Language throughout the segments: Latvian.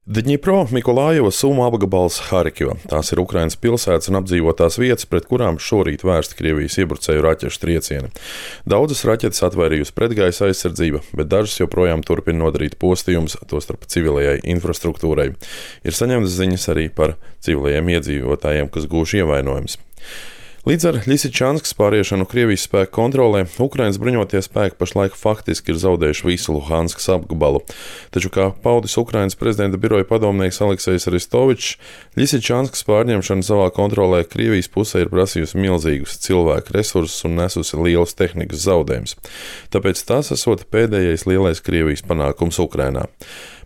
Dņipro, Mikolājeva, Suma apgabals, Harkiva. Tās ir Ukrainas pilsētas un apdzīvotās vietas, pret kurām šorīt vērsti Krievijas iebrucēju raķešu triecieni. Daudzas raķetes atvairījusi pretgaisa aizsardzība, bet dažas joprojām turpina nodarīt postījumus, tostarp civilajai infrastruktūrai. Ir saņemtas ziņas arī par civilajiem iedzīvotājiem, kas gūši ievainojumus. Līdz ar Ļisičanskas pāriešanu Krievijas spēku kontrolē, Ukrainas bruņotie spēki pašlaik faktiski ir zaudējuši visu Luhanskas apgabalu. Taču, kā paudis Ukrainas prezidenta biroja padomnieks Aleksejs Aristovičs, Ļisičanskas pārņemšana savā kontrolē Krievijas pusē ir prasījusi milzīgus cilvēku resursus un nesusi lielus tehnikas zaudējumus. Tāpēc tas esot pēdējais lielais Krievijas panākums Ukrainā.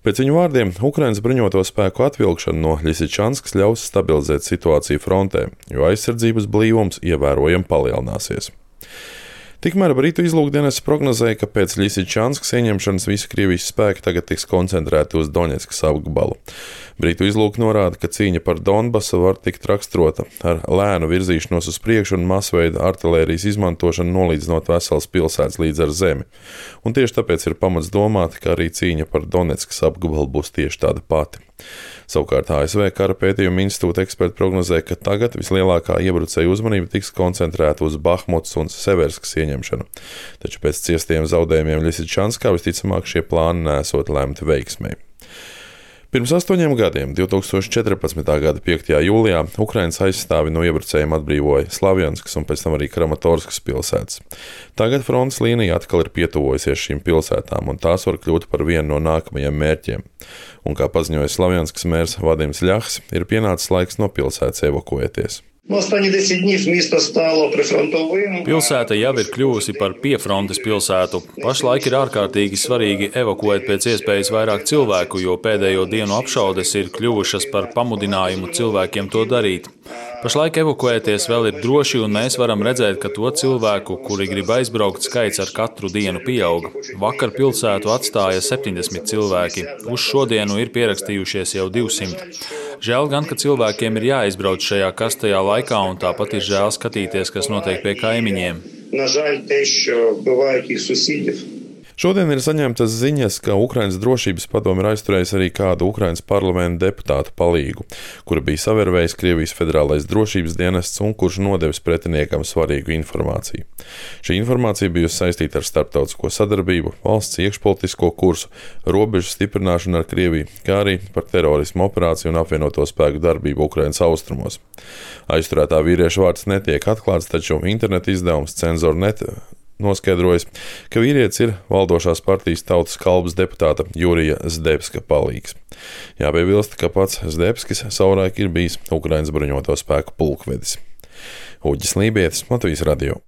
Pēc viņu vārdiem, Ukrainas bruņoto spēku atvilkšana no Ļisičanskas ļaus stabilizēt situāciju frontē, jo aizsardzības blīvums ievērojami palielināsies. Tikmēr Britu izlūkdienests prognozēja, ka pēc Ļisičanskas ieņemšanas visi Krievijas spēki tagad tiks koncentrēti uz Doņetskas apgabalu. Britu izlūki norāda, ka cīņa par Donbasu var tikt raksturota ar lēnu virzīšanos uz priekšu un masveida artilērijas izmantošanu, nolīdzinot veselas pilsētas līdz ar zemi. Un tieši tāpēc ir pamats domāt, ka arī cīņa par Donetskas apgabalu būs tieši tāda pati. Savukārt ASV Kara pētījuma institūta eksperti prognozē, ka tagad vislielākā iebrucēju uzmanība tiks koncentrēta uz Bahmutas un Severskas ieņemšanu. Taču pēc ciestiem zaudējumiem Ļisičanskā visticamāk šie plāni nesot lemti veiksmei. Pirms 8 gadiem, 2014. gada 5. jūlijā, Ukrainas aizstāvi no iebrucējiem atbrīvoja Slavjanskas un pēc tam arī Kramatorskas pilsētas. Tagad frontes līnija atkal ir pietuvojusies šīm pilsētām, un tās var kļūt par vienu no nākamajiem mērķiem. Un kā paziņoja Slavjanskas mērs Vadims Ļahs, ir pienācis laiks no pilsētas evakuēties. Pilsēta jau ir kļuvusi par piefrontes pilsētu. Pašlaik ir ārkārtīgi svarīgi evakuēt pēc iespējas vairāk cilvēku, jo pēdējo dienu apšaudes ir kļuvušas par pamudinājumu cilvēkiem to darīt. Pašlaik evakuēties vēl ir droši, un mēs varam redzēt, ka to cilvēku, kuri grib aizbraukt, skaits ar katru dienu pieaug. Vakar pilsētu atstāja 70 cilvēki. Uz šodienu ir pierakstījušies jau 200. Žēl gan, ka cilvēkiem ir jāizbrauc šajā kastajā laikā, un tāpat ir žēl skatīties, kas notiek pie kaimiņiem. Šodien ir saņemtas ziņas, ka Ukrainas drošības padome ir aizturējusi arī kādu Ukrainas parlamenta deputātu palīgu, kura bija savervējis Krievijas federālais drošības dienests un kurš nodevis pretiniekam svarīgu informāciju. Šī informācija bijusi saistīta ar starptautisko sadarbību, valsts iekšpolitisko kursu, robežu stiprināšanu ar Krieviju, kā arī par terorismu operāciju un apvienoto spēku darbību Ukrainas austrumos. Aizturētā vīrieša vārds netiek atklāts, taču interneta izdevums Cenzor.net noskaidrojas, ka vīrietis ir valdošās partijas Tautas kalpas deputāta Jurija Zdebska palīgs. Jāpiebilst, ka pats Zdebskis savulaik ir bijis Ukrainas bruņoto spēku pulkvedis. Uģis Lībietis, Latvijas radio.